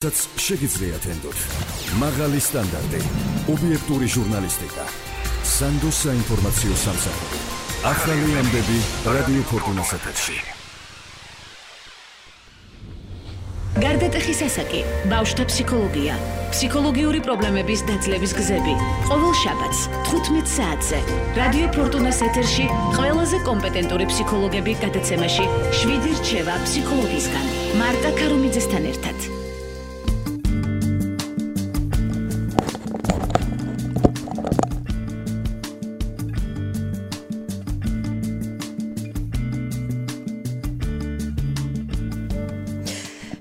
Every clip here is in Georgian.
შეგიძლიათ ენდოთ მაღალი სტანდარტი, ობიექტური ჟურნალისტიკა, სანდოს საინფორმაციო სამსახური, ახალი ამბები რადიო ფორტუნას ეთერში. გარდატეხის ასაკი, ბავშვთა ფსიქოლოგია, ფსიქოლოგიური პრობლემების დაძლევის გზები. ყოველ შაბათს 15 საათზე რადიო ფორტუნას ეთერში ყველაზე კომპეტენტური ფსიქოლოგები გადაცემაში 7 რჩევა ფსიქოლოგისგან. მარტა ქარუმიძესთან ერთად.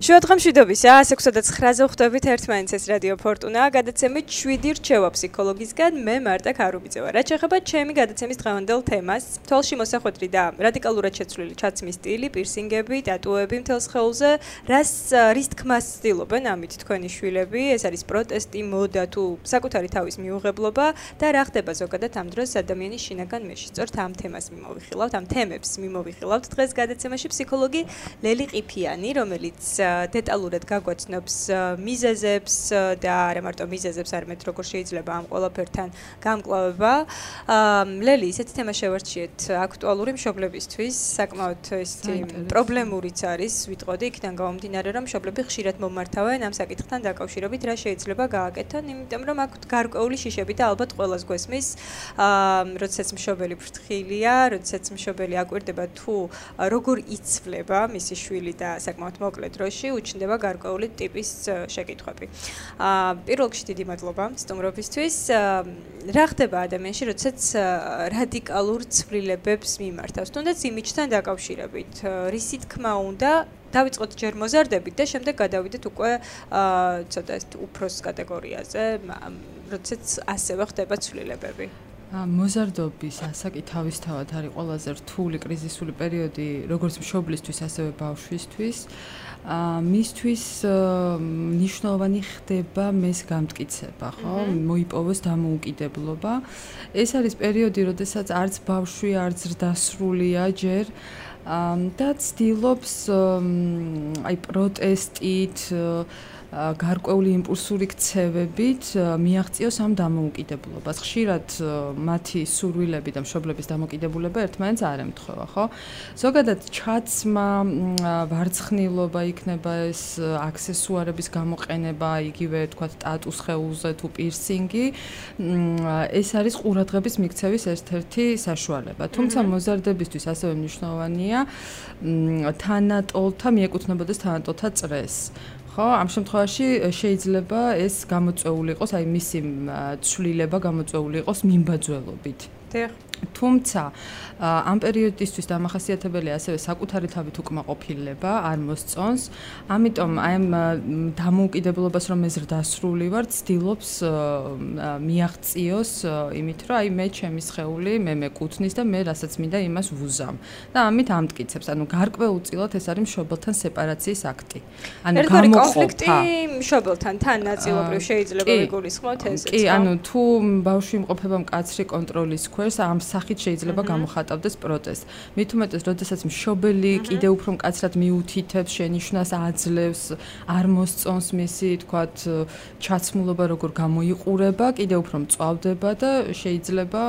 შუადღამშვიდობისა, 6:09-ზე ხვდებით ერთმანეთს ეს რადიო ფორტუნა, გადაცემით 7 რჩევა ფსიქოლოგისგან, მე მარტა ქარუმიძე ვარ. რაც შეეხება ჩემი გადაცემის დღევანდელ თემას, თვალში მოსახვედრი და რადიკალურად შეცვლილი ჩაცმის სტილი, პირსინგები, ტატუები მთელ სხეულზე, რის თქმას ცდილობენ ამით თქვენი შვილები, ეს არის პროტესტი, მოდა თუ საკუთარი თავის მიუღებლობა და რა ხდება ზოგადად ამ დროს ადამიანის შინაგან მეში. სწორედ ამ თემას მიმოვიხილავთ, ამ თემებს მიმოვიხილავთ დღეს გადაცემაში ფსიქოლოგი ლელი ყიფიანი, რომელიც დეტალურად გაგვაცნობს მიზეზებს და არა მარტო მიზეზებს, არამედ როგორ შეიძლება ამ ყველაფერთან გამკლავება. ლელი, ისეთი თემა შევარჩიეთ აქტუალური მშობლებისთვის, საკმაოდ ესეთი პრობლემურიც არის, ვიტყოდი, იქიდან გამომდინარე, რომ მშობლები ხშირად მომართავენ ამ საკითხთან დაკავშირებით, რა შეიძლება გააკეთონ, იმიტომ რომ აქ გარკვეული შიშები და ალბათ ყველას გვესმის, როდესაც მშობელი ფრთხილია, როდესაც მშობელი აკვირდება თუ როგორ იცვლება მისი შვილი და საკმაოდ მოკლე დროში უჩნდება გარკვეული ტიპის შეკითხვები. პირველ რიგში დიდი მადლობა სტუმრობისთვის. რა ხდება ადამიანში, როდესაც რადიკალურ ცვლილებებს მიმართავს, თუნდაც იმიჯთან დაკავშირებით, რისი თქმა უნდა დავიწყოთ ჯერ მოზარდებით და შემდეგ გადავიდეთ უკვე ცოტა უფროს კატეგორიაზე, როდესაც ასევე ხდება ცვლილებები. მოზარდობის ასაკი თავისთავად არის ყველაზე რთული კრიზისული პერიოდი როგორც მშობლისთვის, ასევე ბავშვისთვის. მისთვის მნიშვნელოვანი ხდება მეს გამტკიცება, ხო? მოიპოვოს დამოუკიდებლობა. ეს არის პერიოდი, როდესაც არც ბავშვი, არც დასრულია ჯერ და ცდილობს აი პროტესტით გარკვეული იმპულსური ქცევებით მიაღწიოს ამ დამოუკიდებლობას. ხშირად მათი სურვილები და მშობლების დამოკიდებულება ერთმანეთს არ ემთხვევა, ხო? ზოგადად ჩაცმა, ვარცხნილობა იქნება ეს აქსესუარების გამოყენება, იგივე თქვათ ტატუს ხეულზე თუ პირსინგი, ეს არის ყურადღების მიქცევის ერთ-ერთი საშუალება. თუმცა მოზარდებისთვის ასევე მნიშვნელოვანია თანატოლთა მიეკუთვნებოდეს თანატოლთა წრეს. ხო, ამ შემთხვევაში შეიძლება ეს გამოწვეული იყოს, აი მისი ცვლილება გამოწვეული იყოს მიმბაძველობით. თუმცა ამ პერიოდისთვის დამახასიათებელია ასევე საკუთარი თავით უკმაყოფილება, არ მოსწონს. ამიტომ აი ამ დამოუკიდებლობას რომ ესრდასრული ვარ, ცდილობს მიაღწიოს იმით, რომ აი მე ჩემი სხეული, მე მეკუთვნის და მე რასაც მინდა იმას ვუზამ. და ამით ამტკიცებს. ანუ გარკვეულწილად ეს არის მშობელთან სეპარაციის აქტი. ანუ კონფლიქტი მშობელთან თან ნაწილობრივ შეიძლება ვიგულისხმოთ ესეც. კი, ანუ თუ ბავშვი იმყოფება მკაცრი კონტროლის ქვეშ, ამ სახით შეიძლება გამოხატავდეს პროტესტს. მით უმეტეს, როდესაც მშობელი კიდევ უფრო მკაცრად მიუთითებს, შენიშვნას აძლევს, არ მოსწონს მისი, თქვათ, ჩაცმულობა როგორ გამოიყურება, კიდევ უფრო მწვავდება და შეიძლება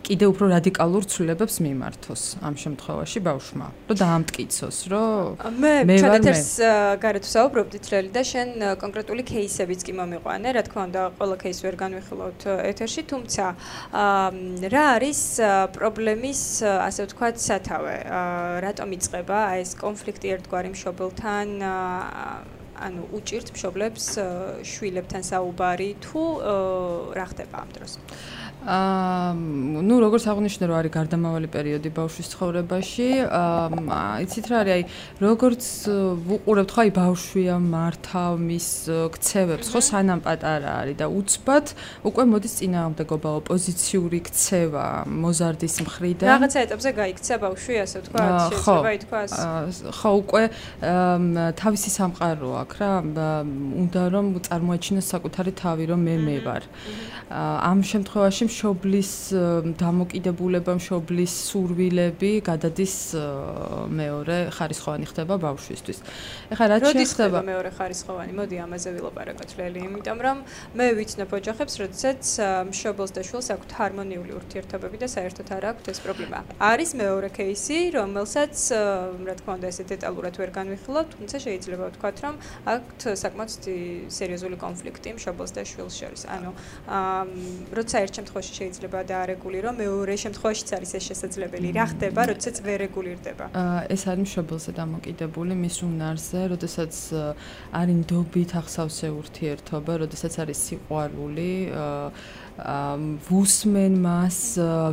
კიდევ უფრო რადიკალურ ცვლილებებს მიმართოს ამ შემთხვევაში ბავშვმა. რომ დაამტკიცოს, რომ მე ჩადეთერს გარეთ ვსაუბრობდით რელი და შენ კონკრეტული кейსებიც კი მომიყვანე, რა თქმა უნდა, ყველა кейს ვერ განვიხილავთ ეთერში, თუმცა რა არის პრობლემის, ასე ვთქვათ, სათავე? რატომ იწყება ეს კონფლიქტი ერთგვარი მშობელთან, ანუ უჭირთ მშობლებს შვილებთან საუბარი თუ რა ხდება ამ დროს? ნუ როგორც აღნიშნე, რომ არის გარდამავალი პერიოდი ბავშვის ცხოვრებაში, იცით რა არის, აი როგორც ვუყურებთ, ხო, აი ბავშვია მართავ მის ქცევებს, ხო, სანამ პატარა არის და უცბად უკვე მოდის წინააღმდეგობა, ოპოზიციური ქცევა მოზარდის მხრიდან. რაღაცა ეტაპზე გაიქცა ბავშვი, ასე ვთქვათ, შეიძლება ითქვას. ხო, უკვე თავისი სამყარო აქვს რა, უნდა რომ წარმოაჩინოს საკუთარი თავი, რომ მე ვარ. ამ შემთხვევაში მშობლის დამოკიდებულება, მშობლის სურვილები გადადის მეორე ხარისხოვანი ხდება ბავშვისთვის. ეხლა რაც შეეხება მეორე ხარისხოვანი, მოდი ამაზე ვილაპარაკოთ ლელი, იმიტომ რომ მე ვიცნობ ოჯახებს, როდესაც მშობელს და შვილს აქვთ ჰარმონიული ურთიერთობები და საერთოდ არ აქვთ ეს პრობლემა. არის მეორე кейსი, რომელსაც რა თქმა უნდა ესე დეტალურად ვერ განვიხილავთ, თუმცა შეიძლება ვთქვათ, რომ აქვთ საკმაოდ სერიოზული კონფლიქტი მშობელს და შვილს შორის. ანუ როცა ერთ შემთხვევაში შეიძლება დაარეგულირო, მეორე შემთხვევაშიც არის ეს შესაძლებელი. რა ხდება, როდესაც ვერ რეგულირდება? ეს არის მშობელზე დამოკიდებული მის უნარზე, როდესაც არის ნდობით ახსავსე ურთიერთობა, როდესაც არის სიყვარული, ვუსმენ მას,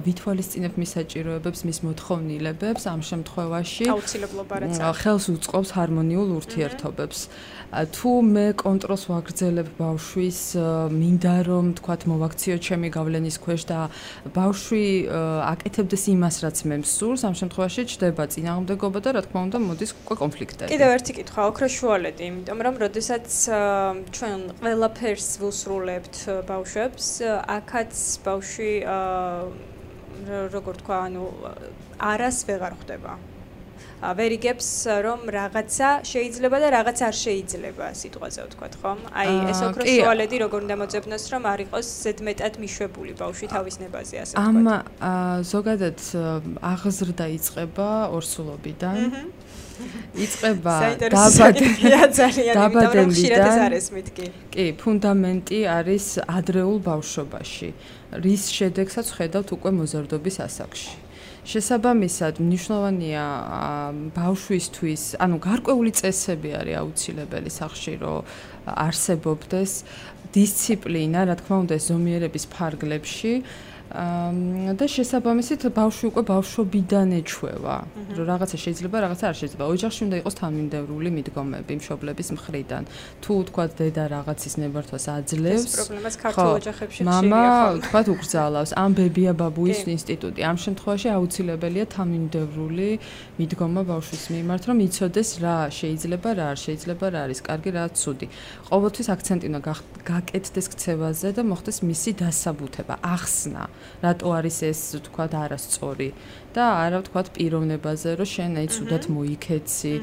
ვითვალისწინებ მის საჭიროებებს, მის მოთხოვნილებებს, ამ შემთხვევაში აუცილებლობა რაც ხელს უწყობს ჰარმონიულ ურთიერთობებს. თუ მე კონტროლს ვაგრძელებ ბავშვის, მინდა რომ თქვათ მოვაქციო ჩემი გავლენის ქვეშ და ბავშვი აკეთებდეს იმას, რაც მე მსურს, ამ შემთხვევაში ჩდება წინააღმდეგობა და რა თქმა უნდა მოდის უკვე კონფლიქტები. კიდევ ერთი კითხვა, ოქროს შუალედი, იმიტომ რომ როდესაც ჩვენ ყველაფერს ვუსრულებთ ბავშვებს, აქაც ბავშვი როგორ თქვა, ანუ არას ვეღარ ხვდება. ვერ იგებს რომ რაღაცა შეიძლება და რაღაც არ შეიძლება სიტყვაზე ვთქვათ, ხომ? აი ეს ოქროს შუალედი როგორ უნდა მოძებნოს, რომ არ იყოს ზედმეტად მიშვებული ბავშვი თავის ნებაზე, ასე ვთქვათ. ზოგადად აღზრდა იწყება ორსულობიდან. იწყება დაბადებიდან. კი, ფუნდამენტი არის ადრეულ ბავშვობაში, რის შედეგსაც ხედავთ უკვე მოზარდობის ასაკში. შესაბამისად, მნიშვნელოვანია ბავშვისთვის, ანუ გარკვეული წესები არის აუცილებელი სახში, რომ არსებობდეს დისციპლინა, რა თქმა უნდა, ზომიერების ფარგლებში. და შესაბამისად ბავშვი უკვე ბავშვობიდან ეჩვევა, რომ რაღაცა შეიძლება, რაღაცა არ შეიძლება. ოჯახში უნდა იყოს თანმიმდევრული მიდგომები მშობლების მხრიდან. თუ თქვათ დედა რაღაცის ნებართვას აძლევს, ეს პრობლემაც ქართულ ოჯახებში ხშირია, მამა თქვათ უკრძალავს, ან ბებია ბაბუის ინსტიტუტი. ამ შემთხვევაში აუცილებელია თანმიმდევრული მიდგომა ბავშვის მიმართ, რომ იცოდეს რა შეიძლება, რა არ შეიძლება, რა არის კარგი, რა ცუდი. ყოველთვის აქცენტი უნდა გაკეთდეს ქცევაზე და მოხდეს მისი დასაბუთება, ახსნა. რატო არის ეს თქვათ არასწორი და არა თქვათ პიროვნებაზე რომ შენ აი ცუდად მოიქეცი,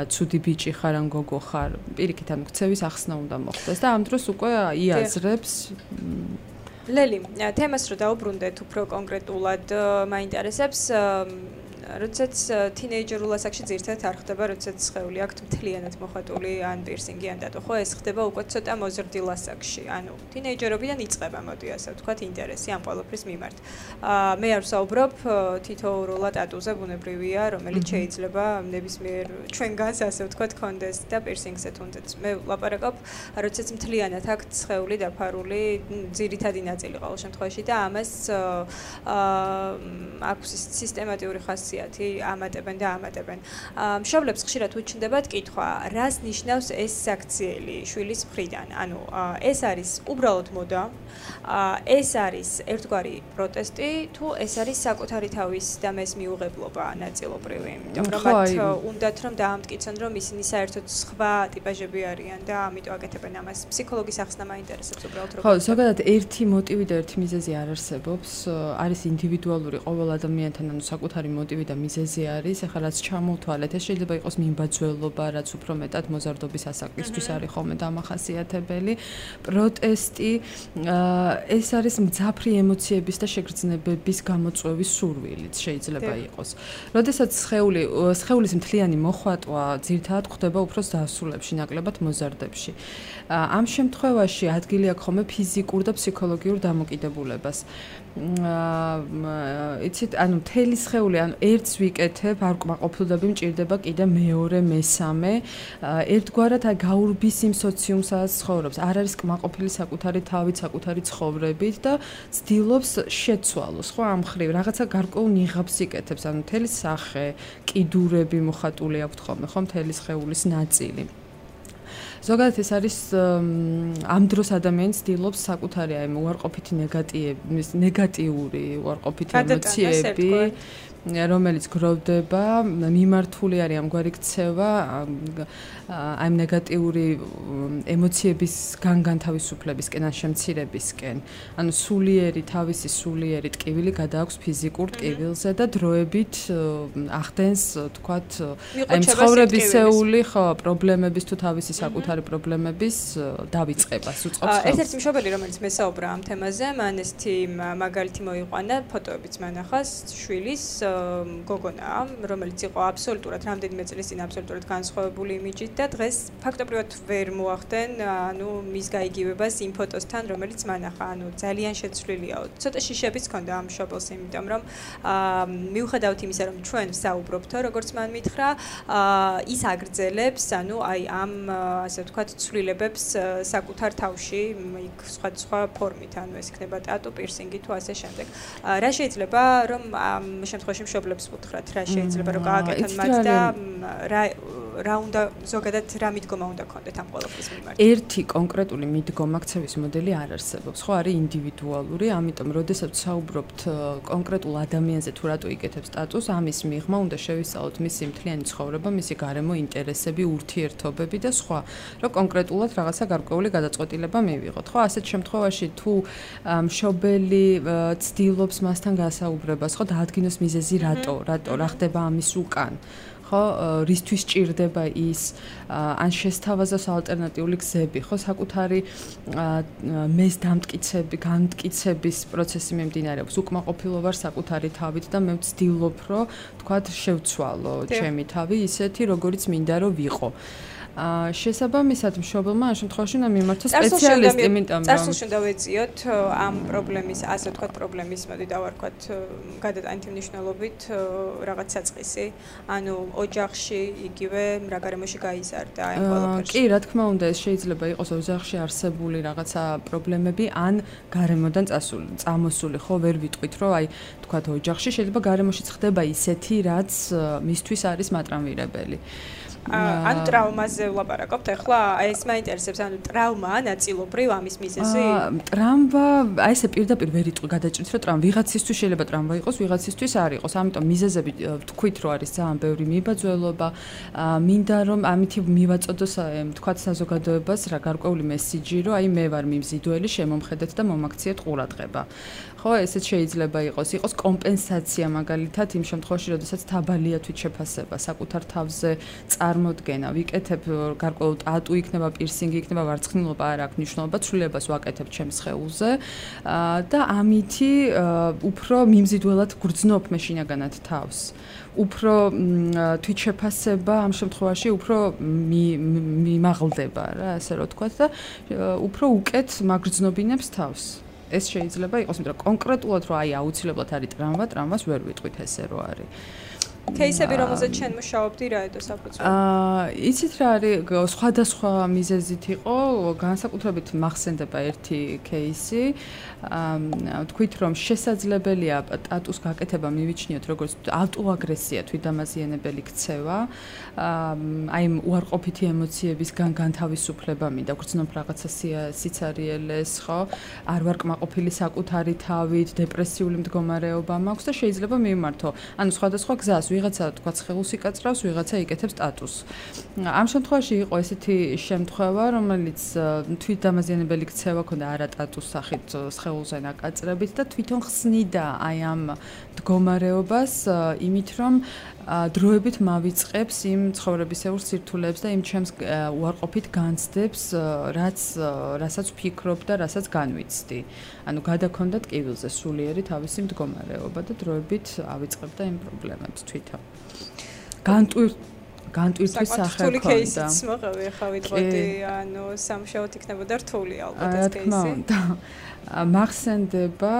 ცუდი ბიჭი ხარ ან გოგო ხარ, პირიქით ანუ ქცევის ახსნა უნდა მოხდეს და ამ დროს უკვე იაზრებს. ლელი, თემას რო დაუბრუნდეთ უფრო კონკრეტულად, მაინტერესებს როდესაც თინეიჯერულ ასაკში ძირითადად არ ხდება, როდესაც სხეული აქვთ მთლიანად მოხატული ან პირსინგი ან დატო, ხო, ეს ხდება უკვე ცოტა მოზრდილ ასაკში. ანუ თინეიჯერობიდან იწყება, მოდი ასე ვთქვათ, ინტერესი ამ ყველაფრის მიმართ. მე არ ვსაუბრობ თითოეულურად ტატუზე, ბუნებრივია, რომელიც შეიძლება ნებისმიერ ჩვენგანს ასე ვთქვათ, კონდეს და პირსინგზე თუნდაც. მე ვლაპარაკობ, როდესაც მთლიანად აქვთ სხეული დაფარული, ძირითადი ნაწილი ყოველ შემთხვევაში და ამას აქვს სისტემატიური ხასიათი. ამატებენ და ამატებენ. მშობლებს ხშირად უჩნდებათ კითხვა, რას ნიშნავს ეს საქციელი შვილის მხრიდან? ანუ ეს არის უბრალოდ მოდა, ეს არის ერთგვარი პროტესტი, თუ ეს არის საკუთარი თავის და მის მიუღებლობა ნაწილობრივი, იმიტომ რომ მათ უნდათ რომ დაამტკიცონ, რომ ისინი საერთოდ სხვა ტიპაჟები არიან და ამიტომ აკეთებენ ამას. ფსიქოლოგის ახსნა მაინტერესებს უბრალოდ როგორ. ხო, ზოგადად ერთი მოტივი და ერთი მიზეზი არ არსებობს, არის ინდივიდუალური ყოველ ადამიანთან, ანუ საკუთარი მოტივი და მიზეზი არის, ახლა რაც ჩამოვთვალეთ, ეს შეიძლება იყოს მიმბაძველობა, რაც უფრო მეტად მოზარდობის ასაკისთვის არის ხოლმე დამახასიათებელი. პროტესტი, ეს არის მძაფრი ემოციების და შეგრძნებების გამოწვევის სურვილიც შეიძლება იყოს. როდესაც სხეულის მთლიანი მოხვატვა ძირითადად ხდება უფრო დასრულებში, ნაკლებად მოზარდებში. ამ შემთხვევაში ადგილი აქვს ხოლმე ფიზიკურ და ფსიქოლოგიურ დამოკიდებულებას. იცით, ანუ მთელი სხეული, ანუ ერთს ვიკეთებ, არ კმაყოფილდები მჭირდება კიდე მეორე, მესამე, ერთგვარად გაურბის იმ სოციუმს, სადაც ცხოვრობს. არ არის კმაყოფილი საკუთარი თავით, საკუთარი ცხოვრებით და ცდილობს შეცვალოს, ხო, ამ ხრივ რაღაცა გარკვეულ ნიღაბს იკეთებს, ანუ მთელი სახე, კიდურები მოხატული აქვთ ხოლმე, ხო, მთელი სხეულის ნაწილი. ზოგადად ეს არის ამ დროს ადამიანი ცდილობს საკუთარი აი უარყოფითი ნეგატიური უარყოფითი ემოციები რომელიც გროვდება, მიმართული არის ამგვარი ქცევა აი ნეგატიური ემოციების განთავისუფლებისკენ, ან შემცირებისკენ. ანუ თავისი სულიერი ტკივილი გადააქვს ფიზიკურ ტკივილზე და დროებით ახდენს, თქვათ, აი ცხოვრებისეული პრობლემების თუ თავისი საკუთარი პრობლემების დავიწყებას უწყობს. ერთ-ერთი მშობელი, რომელიც მესაუბრა ამ თემაზე, მან ესეთი მაგალითი მოიყვანა, ფოტოებიც მან ახას, შვილის გოგონაა, რომელიც იყო აბსოლუტურად რამდენიმე წლის წინ აბსოლუტურად განსხვავებული იმიჯით და დღეს ფაქტობრივად ვერ მოახდენ, ანუ მის გაიგივებას იმ ფოტოსთან, რომელიც მან ახა, ანუ ძალიან შეცვლილია. ცოტა შიშებიც ჰქონდა ამ მშობელს, იმიტომ რომ მიუხედავად იმისა, რომ ჩვენ ვსაუბრობთო, როგორც მან მითხრა, ის აგრძელებს, ანუ აი ამ ასე ვთქვათ, ცვლილებებს საკუთარ თავში, იქ სხვა ფორმით, ანუ ეს იქნება ტატუ, პირსინგი თუ ასე შემდეგ. რა შეიძლება რომ ამ შემთხვევაში მშობლებს ვუთხრათ, რა შეიძლება რომ გააკეთონ მათ და რა უნდა ზოგადად რა მიდგომა უნდა ქონდეთ ამ ყველაფრის მიმართ? ერთი კონკრეტული მიდგომა ქცევის მოდელი არ არსებობს, ხო, არის ინდივიდუალური, ამიტომ როდესაც ვსაუბრობთ კონკრეტულ ადამიანზე თუ რატო იკეთებს სტატუსს, ამის მიღმა უნდა შევისწავლოთ მისი მთლიანი ცხოვრება, მისი გარემო ინტერესები, ურთიერთობები და სხვა, რომ კონკრეტულად რაღაცა გარკვეული გადაწყვეტილება მივიღოთ. ხო, ასეთ შემთხვევაში თუ მშობელი ცდილობს მასთან გასაუბრებას, ხო, დაადგინოს მიზეზი რატო რა ხდება ამის უკან. ხო, რისთვის ჭირდება ის, ან შესთავაზოს ალტერნატიული გზები, ხო, საკუთარი მეს განმტკიცების პროცესი მიმდინარეობს. უკმაყოფილო ვარ საკუთარი თავით და მე ვცდილობ, რომ თქვათ, შევცვალო ჩემი თავი ისეთი, როგორიც მინდა რომ ვიყო. შესაბამისად მშობელმა ამ შემთხვევაში უნდა მიმართოს სპეციალისტი, იმიტომ რომ წარსულში უნდა ვეციოთ ამ პრობლემის, ასე ვთქვათ, პრობლემის, მოდი დავარქვათ, გადატანითი მნიშვნელობით რაღაც საწყისი, ანუ ოჯახში იგივე რა გარემოში გაიზარდა ამ ყველაფერში. კი, რა თქმა უნდა, ეს შეიძლება იყოს ოჯახში არსებული რაღაცა პრობლემები, ან გარემოდან წამოსული, ხო, ვერ ვიტყვით, რომ აი, თქვათ, ოჯახში შეიძლება გარემოში ხდება ისეთი, რაც მისთვის არის მატრამვირებელი. ანუ ტრავმაზე ვლაპარაკობთ ახლა, ეს მაინტერესებს, ანუ ტრავმა ნაწილობრივ ამის მიზეზი? ტრავმა, აი ესე პირდაპირ ვერ იტყვი გადაჭრით, რომ ტრავმა ვიღაცისთვის შეიძლება ტრავმა იყოს, ვიღაცისთვის არ იყოს. ამიტომ მიზეზები ვთქვით, რომ არის ძალიან ბევრი მიბაძველობა, მინდა რომ ამითი მივაწოდოს, თქვათ, საზოგადოებას რა გარკვეული მესიჯი, რომ აი მე ვარ მიმზიდველი, შემომხედეთ და მომაქციეთ ყურადღება. ხო, ესეც შეიძლება იყოს კომპენსაცია მაგალითად იმ შემთხვევაში, როდესაც დაბალია თვითშეფასება, საკუთარ თავზე წარმოდგენა, ვიკეთებ გარკვეულ ტატუ იქნება, პირსინგი იქნება, ვარცხნილობა არ აქვს მნიშვნელობა, ცვლილებას ვაკეთებ ჩემს სხეულზე და ამითი უფრო მიმზიდველად გრძნობ მე შინაგანად თავს. უფრო თვითშეფასება ამ შემთხვევაში უფრო მიმაღლდება რა, ასე რომ ვთქვათ და უფრო უკეთ მაგრძნობინებს თავს. ეს შეიძლება იყოს, იმიტომ რომ კონკრეტულად რომ აი აუცილებლად არის ტრავმას ვერ ვიტყვით ესე რო არის. кейსები, რომელზეც შენ მუშაობდი, რა ედო საფუძველი? იცით რა არის, სხვადასხვა მიზეზით იყო, განსაკუთრებით მახსენდება ერთი кейსი. ვთქვით, რომ შესაძლებელია ტატუს გაკეთება მივიჩნიოთ როგორც ავტოაგრესია, თვითდამაზიანებელი ქცევა, აი უარყოფითი ემოციების განთავისუფლება მინდა, გრძნობ რაღაცა სიცარიელეს, ხო? არ ვარ კმაყოფილი საკუთარი თავით, დეპრესიული მდგომარეობა მაქვს და შეიძლება მივმართო. ანუ სხვადასხვა გზას ვიღაცა თქვა ცხელს იკაწრავს, ვიღაცა იკეთებს სტატუსს. ამ შემთხვევაში იყო ესეთი შემთხვევა, რომელიც თვითდამაზიანებელი ქცევა ქონდა არა სტატუს სახით სხეულზე ნაკაწრებით და თვითონ ხსნიდა აი ამ მდგომარეობას იმით, რომ დროებით მავიწყებს იმ ცხოვრებისეულ სირთულეებს და იმ ჩემს უარყოფით განცდებს, რასაც ვფიქრობ და რასაც განვიცდი. ანუ გადაქონდა ტკივილზე სულიერი თავისი მდგომარეობა და დროებით ავიწყებდა იმ პრობლემებს თვითონ. განტვირთვის სახე რთული кейსიც მოყევი, ახლა ვიტყოდი, ანუ სამშაბათ იქნებოდა რთული ალბათ ეს кейსი. მახსენდება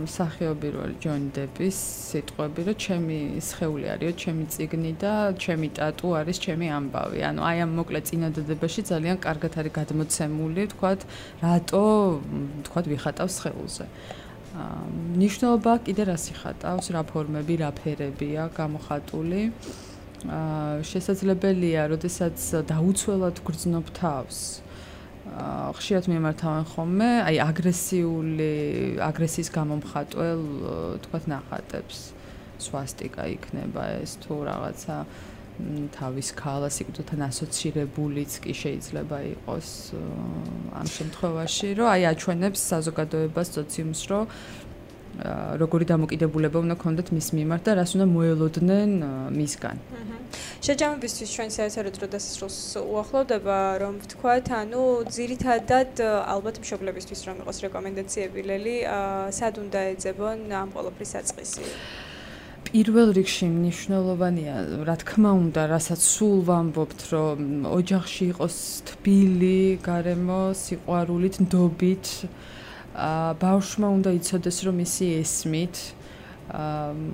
მსახიობი როლი ჯონი დების სიტყვები, რომ ჩემი სხეული არისო, ჩემი წიგნი და ჩემი ტატუ არის ჩემი ამბავი. ანუ აი ამ მოკლე წინადადებაში ძალიან კარგად არის გადმოცემული, თქვათ, რატო, თქვათ, ვიხატავს სხეულზე. ნიშნულობა კიდე რას იხატავს, რა ფორმები, რა ფერებია გამოხატული. შესაძლებელია, როდესაც დაუცველად გრძნობ თავს. ხშირად მიმართავენ ხოლმე, აი აგრესიის გამომხატველ, თქვათ, ნახატებს. სვასტიკა იქნება ეს თუ რაღაცა თავის ქალა სიკვდილთან ასოცირებულიც კი შეიძლება იყოს ამ შემთხვევაში, რომ აი აჩვენებს საზოგადოებას სოციუმს, რომ როგორი დამოკიდებულება უნდა ქონდეთ მის მიმართ და რას უნდა მოელოდნენ მისგან. შეჯამებისთვის ჩვენ საერთოდ რო დასასრულს უახლოვდება, რომ ვთქვათ, ანუ ძირითადად ალბათ მშობლებისთვის რომ იყოს რეკომენდაციები ლელი, სად უნდა ეძებონ ამ ყოველფრის საწყისი? პირველ რიგში მნიშვნელოვანია, რა თქმა უნდა, რასაც სულ ვამბობთ, რომ ოჯახში იყოს თბილი, გარემო, სიყვარულით, ნდობით, ბავშვმა უნდა იცოდეს, რომ ისი ესმით,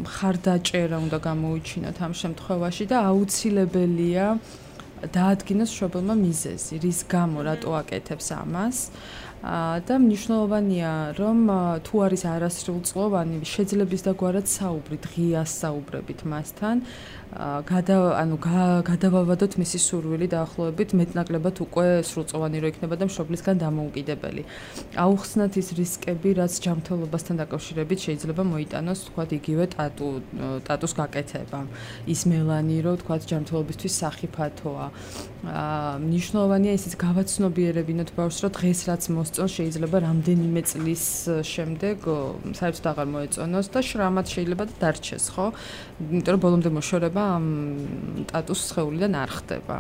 მხარდაჭერა უნდა გამოუჩინოთ ამ შემთხვევაში და აუცილებელია დაადგინოს მშობელმა მიზეზი, რის გამო რატო აკეთებს ამას. და მნიშვნელოვანია, რომ თუ არის არასრულწლოვანი, შეძლებს და გვარად საუბრით, ღია საუბრებით მასთან, გადავავადოთ მისი სურვილი დაახლოებით მეტნაკლებად უკვე სრულწლოვანი რო იქნება და მშობლისგან დამოუკიდებელი. აუხსნათ ის რისკები, რაც ჯანმრთელობასთან დაკავშირებით შეიძლება მოიტანოს, თქვათ, იგივე ტატუს გაკეთება. ის მელანი, რომ თქვათ, ჯანმრთელობისთვის სახიფათოა. მნიშვნელოვანია ისიც გავაცნობიერებინოთ ბავშვს, რომ დღეს რაც მოსწონს შეიძლება რამდენიმე წლის შემდეგ საერთოდ აღარ მოეწონოს და შრამად შეიძლება დარჩეს, ხო? იმიტომ რომ ბოლომდე მოშორება ამ ტატუს სხეულიდან არ ხდება.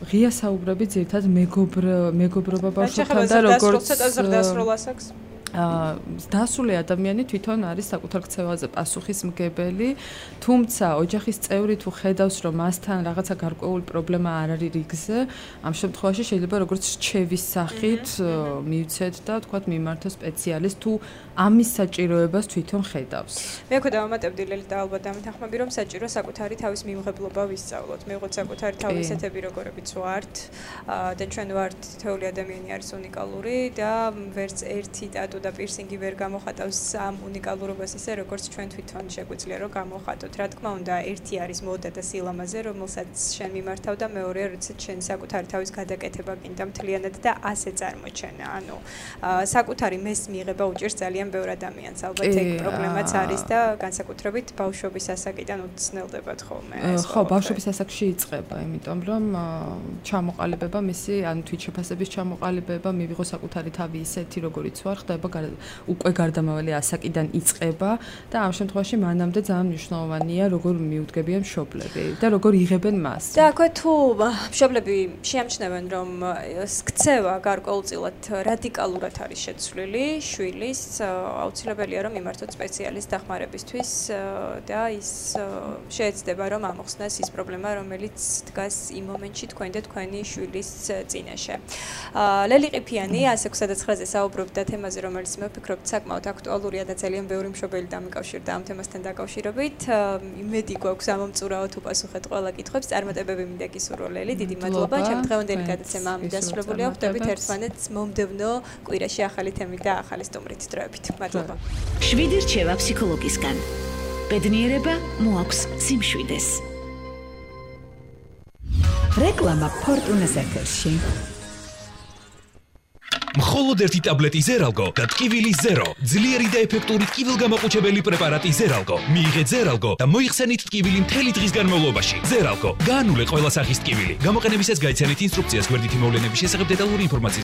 ღია საუბრები ძირითადად მეგობრობა ბავშვთან და როგორც დასრულასაკს დასული ადამიანი თვითონ არის საკუთარ ქცევაზე პასუხისმგებელი, თუმცა ოჯახის წევრი თუ ხედავს, რომ მასთან რაღაცა გარკვეული პრობლემა არ არის რიგზე, ამ შემთხვევაში შეიძლება როგორც რჩევის სახით მივცეთ და თქვათ მიმართოს სპეციალისტს თუ ამის საჭიროებას თვითონ ხედავს. მე ხო დავამატებდი ლელი და ალბათ დამეთანხმები, რომ საჭირო საკუთარი თავის მიუღებლობა ვისწავლოთ. მე ვიყოთ საკუთარი თავისეთები როგორებიც ვართ და ჩვენ ვართ თითოეული ადამიანი არის უნიკალური და ვერც ერთი ტატუ და პირსინგი ვერ გამოხატავს ამ უნიკალურობას ისე როგორც ჩვენ თვითონ შეგვიძლია რომ გამოხატოთ. რა თქმა უნდა, ერთი არის მოდა და სილამაზე, რომელსაც შენ მიმართავ და მეორე როდესაც შენ საკუთარი თავის გადაკეთება გინდა მთლიანად და ასე წარმოჩენა. ანუ საკუთარი მეს მიიღება უჭირს ძალიან ბევრ ადამიანს. ალბათ ეგ პრობლემაც არის და განსაკუთრებით ბავშვობის ასაკიდან უცნელდებათ ხოლმე. ხო, ბავშვობის ასაკში იწყება, იმიტომ რომ ჩამოყალიბება მისი, ანუ თვითშეფასების ჩამოყალიბება, მივიღო საკუთარი თავი ისეთი როგორიც ვარ, ხდება უკვე გარდამავალი ასაკიდან იწყება და ამ შემთხვევაში მანამდე ძალიან მნიშვნელოვანია როგორ მიუდგებიან მშობლები და როგორ იღებენ მას. და აქვე თუ მშობლები შეამჩნევენ რომ ქცევა გარკვეულწილად რადიკალურად არის შეცვლილი შვილის, აუცილებელია რომ იმართოთ სპეციალისტ დახმარებისთვის და ის შეეცდება რომ ამოხსნას ის პრობლემა რომელიც დგას იმ მომენტში თქვენ და თქვენი შვილის წინაშე. ლელი ყიფიანი 169-ზე საუბრობდა თემაზე რომელიც მე ვფიქრობ საკმაოდ აქტუალურია და ძალიან ბევრი მშობელი დამიკავშირდა ამ თემასთან დაკავშირებით. იმედი გვაქვს ამომწურავოთ უპასუხეთ ყველა კითხვებს. წარმატებები მინდა გისურვო ლელი, დიდი მადლობა. ჩემი დღევანდელი გადაცემა ამით დასრულებულია. ხვდებით ერთმანეთს მომდევნო კვირაში ახალი თემით და ახალი სტუმრით დროებით. მადლობა. 7 რჩევა ფსიქოლოგისგან. ბედნიერება მოაქვს სიმშვიდეს. რეკლამა ფორტუნას ეთერში. მხოლოდ ერთი ტაბლეტი ზერალგო და ტკივილი ზერო. ძლიერი და ეფექტური ტკივილგამაყუჩებელი პრეპარატი ზერალგო. მიიღეთ ზერალგო და მოიხსენით ტკივილი მთელი დღის განმავლობაში. ზერალგო. გაანულე ყველა სახის ტკივილი. გამოყენებისას გაიცანით ინსტრუქციას გვერდითი მოვლენების შესახებ დეტალური ინფორმაცია